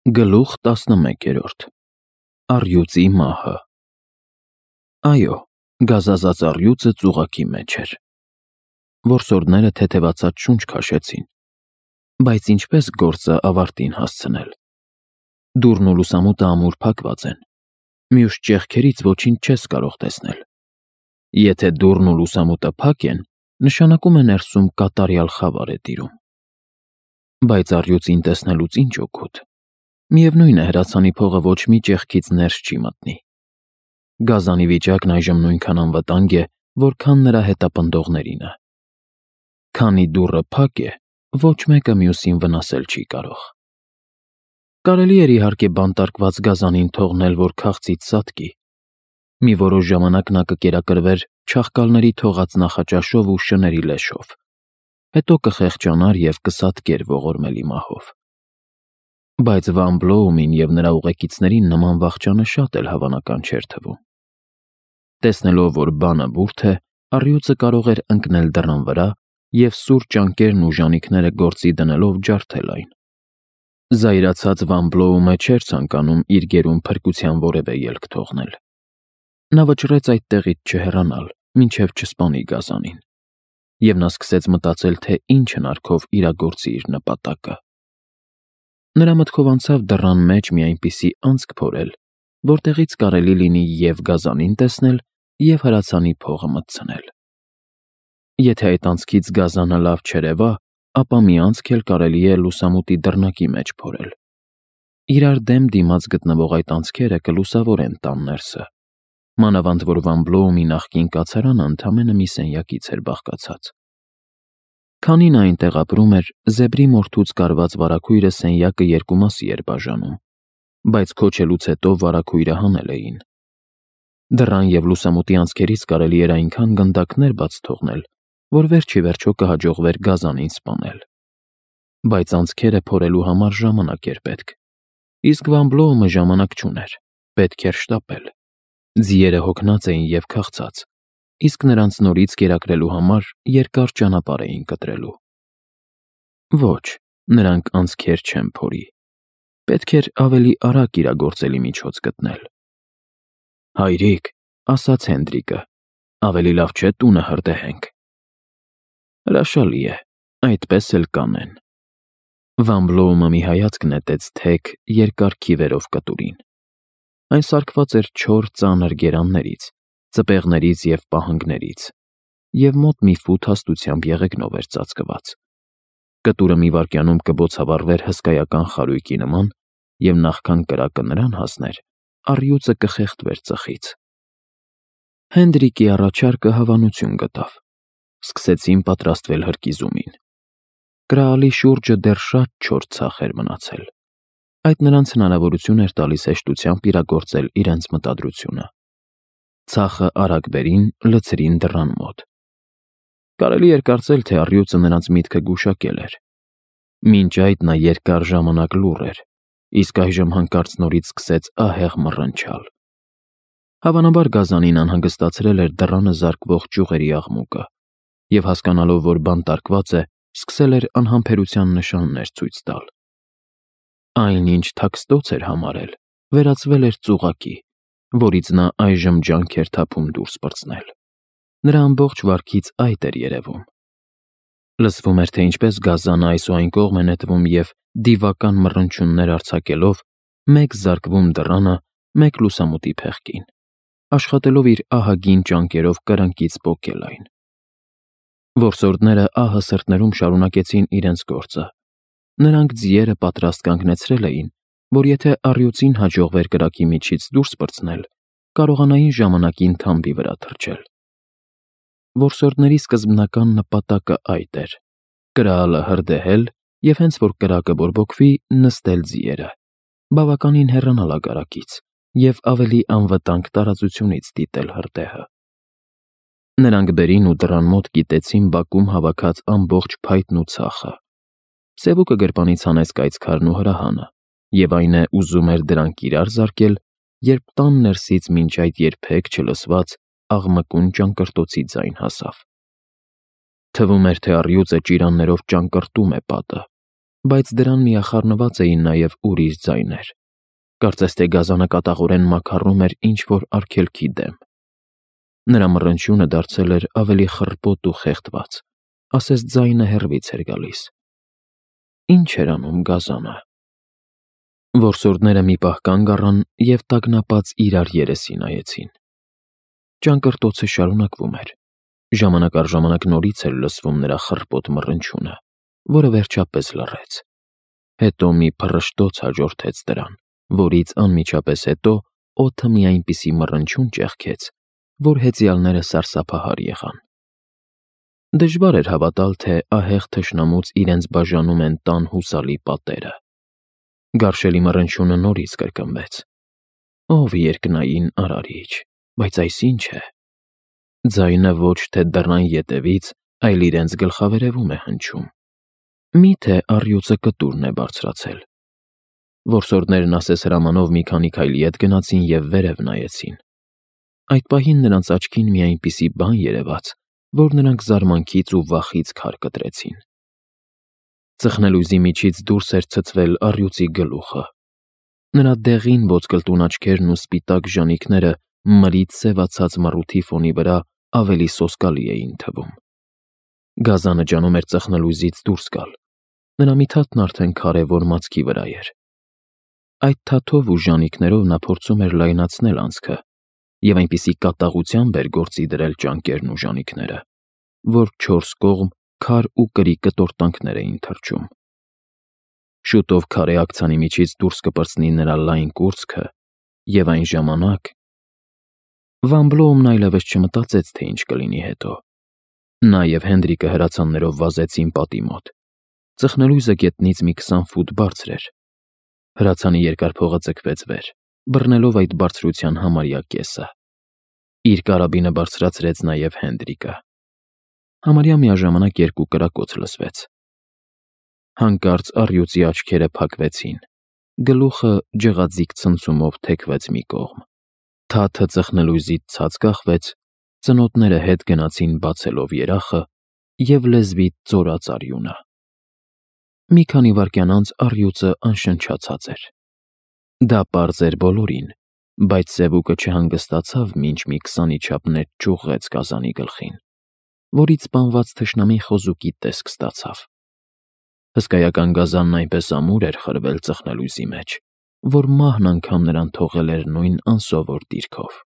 Գլուխ 11 Առյուծի մահը Այո, գազազած առյուծը ծուղակի մեջ էր։ Որսորդները թեթևացած շունչ քաշեցին, բայց ինչպես գործը ավարտին հասցնել։ Դուռն ու լուսամուտը ամուր փակված են, մյուս ճեղքերից ոչինչ չես կարող տեսնել։ Եթե դուռն ու լուսամուտը փակ են, նշանակում է ներսում կատարյալ խավար է տիրում։ Բայց առյուծին տեսնելուց ինչ օգուտ։ Միևնույն է, հրացանի փողը ոչ մի ճեղքից ներս չի մտնի։ Գազանի վիճակն այժմ նույնքան անվտանգ է, որքան նրա հետապնդողներինը։ Քանի դուռը փակ է, ոչ մեկը մյուսին վնասել չի կարող։ Կարելի էր իհարկե բանտարկված գազանին թողնել, որ քաղցից սատկի։ Մի որոշ ժամանակ նա կկերակրվեր չաղկալների թողած նախաճաշով ու շների լեշով, հետո կխեղճանար և կսատկեր ողորմելի մահով։ Բայց Վան Բլոումին և նրա ուղեկիցներին նման վախճանը շատ էլ հավանական չէր թվում։ Տեսնելով, որ բանը բուրդ է, առյուծը կարող էր ընկնել դռան վրա և սուր ճանկերն ու ժանիքները գործի դնելով ջարդել այն։ Զայրացած Վան Բլոումը չէր ցանկանում իր գերուն փրկության որևէ ելք թողնել։ Նա վճռեց այդ տեղից չհեռանալ, մինչև չսպանի գազանին, և նա սկսեց մտածել, թե ինչ հնարքով իրագործի իր նպատակը։ Նրա մտքով անցավ դռան մեջ մի այնպիսի անցք փորել, որտեղից կարելի լինի և գազանին տեսնել, և հրացանի փողը մտցնել։ Եթե այդ անցքից գազանը լավ չերևա, ապա մի անցք էլ կարելի է լուսամուտի դռնակի մեջ փորել։ Իրար դեմ դիմաց գտնվող այդ անցքերը կլուսավորեն տան ներսը, մանավանդ որ Վան Բլոումի նախկին կացարանը ընդամենը մի սենյակից էր բաղկացած։ Քանի նա այնտեղ ապրում էր, զեբրի մորթուց կարված վարագույրը սենյակը երկու մասի էր բաժանում, բայց քոչելուց հետո վարագույրը հանել էին։ Դռան և լուսամուտի անցքերից կարելի էր այնքան գնդակներ բաց թողնել, որ վերջիվերջո կհաջողվեր գազանին սպանել։ Բայց անցքերը փորելու համար ժամանակ էր պետք, իսկ Վան Բլոումը ժամանակ չուներ, պետք էր շտապել։ Ձիերը հոգնած էին և քաղցած, իսկ նրանց նորից կերակրելու համար երկար ճանապարհ էին կտրելու։ Ոչ, նրանք անցքեր չեն փորի։ Պետք էր ավելի արագ իրագործելի միջոց գտնել։ «Հայրիկ», ասաց Հենդրիկը, «ավելի լավ չէ տունը հրդեհենք»։ Հրաշալի է, այդպես էլ կանեն։ Վան Բլոումը մի հայացք նետեց թեք, երկար քիվերով կտուրին։ Այն սարքված էր չոր ծանր գերաններից, ծպեղներից և պահանգներից, և մոտ մի ֆուտ հաստությամբ եղեգնով էր ծածկված։ Կտուրը մի վայրկյանում կբոցավառվեր հսկայական խարույկի նման, և նախքան կրակը նրան հասներ, առյուծը կխեղդվեր ծխից։ Հենդրիկի առաջարկը հավանություն գտավ։ Սկսեցին պատրաստվել հրկիզումին։ Կրահալի շուրջը դեռ շատ չոր ցախ էր մնացել։ Այդ նրանց հնարավորություն էր տալիս հեշտությամբ իրագործել իրենց մտադրությունը։ Ցախը արագ բերին, լցրին դռան մոտ։ Կարելի էր կարծել, թե առյուծը նրանց միտքը գուշակել էր։ Մինչ այդ նա երկար ժամանակ լուռ էր, իսկ այժմ հանկարծ նորից սկսեց ահեղ մռնչալ։ Հավանաբար գազանին անհանգստացրել էր դռանը զարկվող ճյուղերի աղմուկը, և հասկանալով, որ բանտարկված է, սկսել էր անհամբերության նշաններ ցույց տալ։ Այն, ինչ թաքստոց էր համարել, վերածվել էր ծուղակի, որից նա այժմ ջանք էր թափում դուրս պրծնել։ Նրա ամբողջ վարքից այդ էր երևում։ Լսվում էր, թե ինչպես գազանը այս ու այն կողմ է նետվում և, դիվական մռնչյուններ արձակելով, մեկ զարկվում դռանը, մեկ լուսամուտի փեղկին, աշխատելով իր ահագին ճանկերով կրկնակից պոկել այն։ Որսորդները ահը սրտներում շարունակեցին իրենց գործը։ Նրանք ձիերը պատրաստ կանգնեցրել էին, որ եթե առյուծին հաջողվեր կրակի միջից դուրս պրծնել, կարողանային ժամանակին թամբի վրա թռչել։ Որսորդների սկզբնական նպատակը այդ էր՝ կրահալը հրդեհել և հենց որ կրակը բորբոքվի, նստել ձիերը, բավականին հեռանալ ագարակից և ավելի անվտանգ տարածությունից դիտել հրդեհը։ Նրանք բերին ու դռան մոտ կիտեցին բակում հավաքած ամբողջ փայտն ու ցախը։ Սևուկը գրպանից հանեց կայծքարն ու հրահանը, և այն է ուզում էր դրանք իրար զարկել, երբ տան ներսից մինչ այդ երբեք չլսված աղմկուն ճանկռտոցի ձայն հասավ։ Թվում էր, թե առյուծը ճիրաններով ճանկռտում է պատը։ բայց դրան միախառնված էին նաև ուրիշ ձայներ։ Կարծես թե գազանը կատաղորեն մաքառում էր ինչ-որ արգելքի դեմ։ Նրա մռնչյունը դարձել էր ավելի խռպոտ ու խեղդված, ասես ձայնը հեռվից էր գալիս։ Ինչ էր անում գազանը։ Որսորդները մի պահ կանգ առան և տագնապած իրար երեսի նայեցին։ Ճանկռտոցը շարունակվում էր։ Ժամանակ առ ժամանակ նորից էր լսվում նրա խռպոտ մռնչյունը, որը վերջապես լռեց։ Հետո մի փռշտոց հաջորդեց դրան, որից անմիջապես հետո օդը մի այնպիսի մռնչյուն ճեղքեց, որ հեծյալները սարսափահար եղան։ Դժվար էր հավատալ, թե ահեղ թշնամուց իրենց բաժանում են տան հուսալի պատերը։ Գարշելի մռնչյունը նորից կրկնվեց։ Ով երկնային արարիչ, բայց այս ինչ է։ Ձայնը ոչ թե դռան ետևից, այլ իրենց գլխավերևում է հնչում։ Մի՞թե առյուծը կտուրն է բարձրացել։ Որսորդներն ասես հրամանով մի քանի քայլի ետ գնացին և վերև նայեցին։ Այդ պահին նրանց աչքին մի այնպիսի բան երևաց, որ նրանք զարմանքից ու վախից քար կտրեցին։ Ծխնելույզի միջից դուրս էր ցցվել առյուծի գլուխը։ Նրա դեղին ոսկլտուն աչքերն ու սպիտակ ժանիքները մրից սևացած մռութի ֆոնի վրա ավելի սոսկալի էին թվում։ Գազանը ջանում էր ծխնելույզից դուրս գալ։ Նրա մի թաթն արդեն քարևոր մացքի վրա էր։ Այդ թաթով ու ժանիքներով նա փորձում էր լայնացնել անցքը և այնպիսի կատաղությամբ էր գործի դրել ճանկերն ու ժանիքները, որ չորս կողմ քար ու կրի կտորտանքներ էին թռչում։ Շուտով քարե աքցանի միջից դուրս կպրծնի նրա լայն կուրծքը, և այն ժամանակ… Վան Բլոումն այլևս չմտածեց, թե ինչ կլինի հետո։ Նա և Հենդրիկը հրացաններով վազեցին պատի մոտ։ Ծխնելույզը գետնից մի 20 ֆուտ բարձր էր։ Հրացանի երկար փողը ձգվեց վեր, բռնելով այդ բարձրության համարյա կեսը։ Իր կարաբինը բարձրացրեց նաև Հենդրիկը։ Համարյա միաժամանակ երկու կրակոց լսվեց։ Հանկարծ առյուծի աչքերը փակվեցին։ Գլուխը ջղաձիգ ցնցումով թեքվեց մի կողմ։ Թաթը ծխնելույզից ցած կախվեց, ծնոտները հետ գնացին բացելով երախը և լեզվից ծորաց արյունը։ Մի քանի վայրկյան անց առյուծը անշնչացած էր։ Դա պարզ էր բոլորին, բայց սևուկը չհանգստացավ, մինչ մի 20-ի չափ նետ ճյուղղեց գազանի գլխին, որից սպանված թշնամի խոզուկի տեսք ստացավ։ Հսկայական գազանն այնպես ամուր էր խրվել ծխնելույզի մեջ, որ մահն անգամ նրան թողել էր նույն անսովոր դիրքով։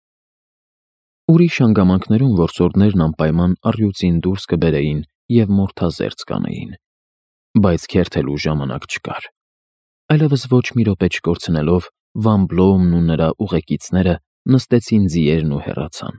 Ուրիշ հանգամանքներում որսորդներն անպայման առյուծին դուրս կբերեին և մորթազերծ կանեին, բայց քերթելու ժամանակ չկար։ Այլևս ոչ մի րոպե չկորցնելով, Վան Բլոումն ու նրա ուղեկիցները նստեցին ձիերն ու հեռացան։